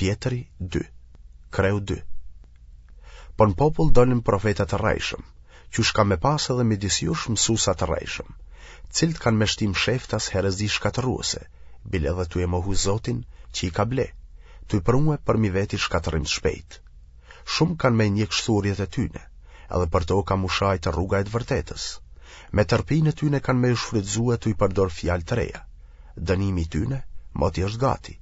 Pjetri 2, kreu 2. Po në popull dolën profeta të rrejshëm, qysh ka me pas edhe midis jush mësusa të rrejshëm, të cilët kanë me shti msheftas herezi shkatërruese, bile edhe tuj e mohu Zotin që i ka ble, tuj prue përmi veti shkatërrim të shpejtë. Shumë kanë me njek shthurjet e tyne, edhe për to ka m'u shajtë rruga e të vërtetës. Me tërpinë e tyne kanë me ju shfrytëzue tuj përdor fjalë të reja. Dënimi i tyne, moti është gati,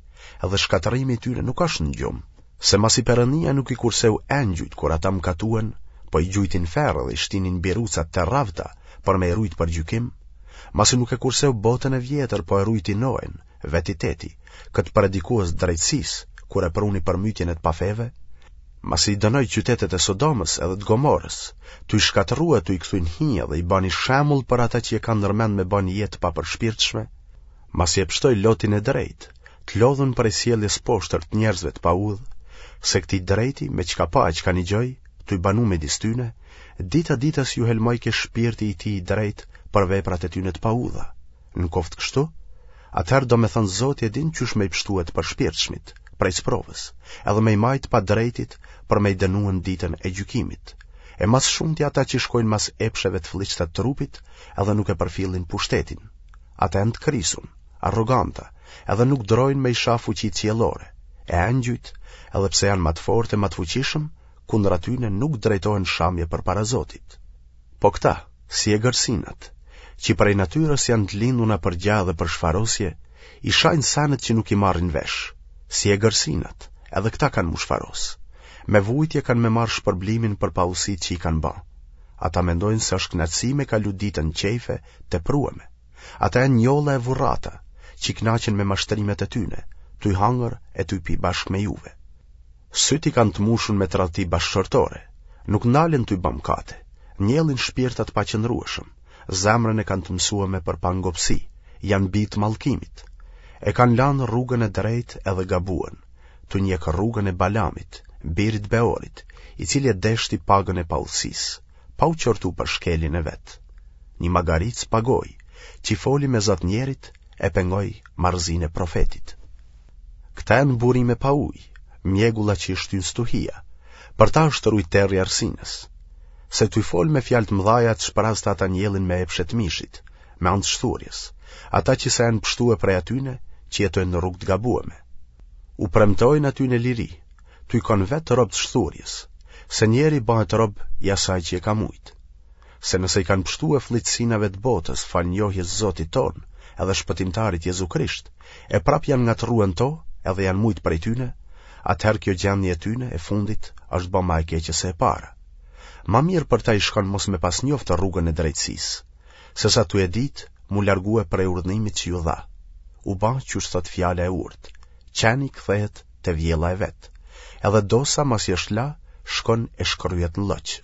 edhe shkatërrimi i tyne nuk është në gjumë. Se masi Perëndia nuk i kurseu engjujt kur ata mëkatuen, po i gjujti në ferr dhe i shtini në biruca të rravta për me i rujt për gjykim, masi nuk e kurseu botën e vjetër, po e rujti Noen, vetë i teti, këtë predikues të drejtësisë, kur e pruni përmytjen e të pafeve, masi i dënoi qytetet e Sodomës edhe të Gomorës, tuj i shkatërrue tuj i kthy në hi dhe i bani shembull për ata që e kanë ndërmend me ba një jetë të papërshpirtshme, masi e pshtoi Lotin e drejtë, të lodhun prej sjelljes poshtër të njerëzve të paudhë, se këtij drejti me çka pa e çka nigjoi, tuj banu midis tyne, dita ditës ju helmojke shpirti i tij i drejtë për veprat e tyne të paudha. Në koftë kështu, atëherë domethënë Zoti e din qysh me i pshtue të përshpirtshmit prej sprovës, edhe me i majtë të padrejtit për me i dënue në ditën e gjykimit. E ma së shumti ata që shkojnë mas epsheve të flliqta të trupit edhe nuk e përfillin pushtetin. Ata janë të krisun, arroganta, edhe nuk drojnë me i sha fuqitë qiellore, e engjujt, edhe pse janë ma të fortë e ma të fuqishëm, kundër atyne nuk drejtohen shamje përpara Zotit. Po këta, si egërsinat, që prej natyrës janë të linduna për gjah dhe për shfarosje, i shajnë senet që nuk i marrin vesh, si egërsinat, edhe këta kanë m'u shfaros. Me vujtje kanë me marrë shpërblimin për paudhësitë që i kanë ba. Ata mendojnë se është kënaqësi me kalu ditën në qejfe të teprueme. Ata janë njolla e vurrata, që kënaqen me mashtrimet e tyne, tuj hangër e tuj pi bashkë me juve. Sytë i kanë të mushun me tradhti bashkëshortore, nuk ndalen tuj ba mëkate, njellin shpirta të paqëndrueshëm, zemrën e kanë të mësueme për pangopësi, janë bij të mallkimit. E kanë lanë rrugën e drejtë edhe gabuen, tuj njekë rrugën e Balamit, birit të Beorit, i cili e deshti pagën e paudhësisë, pa u qortu për shkeljen e vet. Një magaric pa gojë, që i foli me za të njerit, e pengoi marrëzinë e profetit. Këta janë burime pa ujë, mjegulla që i shtyn stuhia, për ta është rujt terri i errësinës. Se tuj folë me fjalë të mëdhaja të shprazta ata njellin me epshe të mishit, me anë të shthurjes, ata që sa janë pshtue prej atyne që jetojnë në rrugë të gabueme. U premtojnë atyne liri, tuj kanë vetë rob të shthurjes, se njeri bëhet rob i asaj që e ka mujtë. Se nëse i kanë pshtue flliqësinave të botës falë njohjes Zotit tonë edhe shpëtimtarit Jezu Krisht, e prap janë ngatërrue në to edhe janë mujtë prej tyne, atëherë kjo gjendje e tyne e fundit është ba ma e keqe se e para. Ma mirë për ta i shkon mos me pas njoftë rrugën e drejtësisë, sesa tuj e ditë m'u largue prej urdhnimit që ju dha. U ba qysh thotë fjala e urtë, qeni kthehet te vjella e vet, edhe dosa masi është la, shkon e shkërryet në lloq.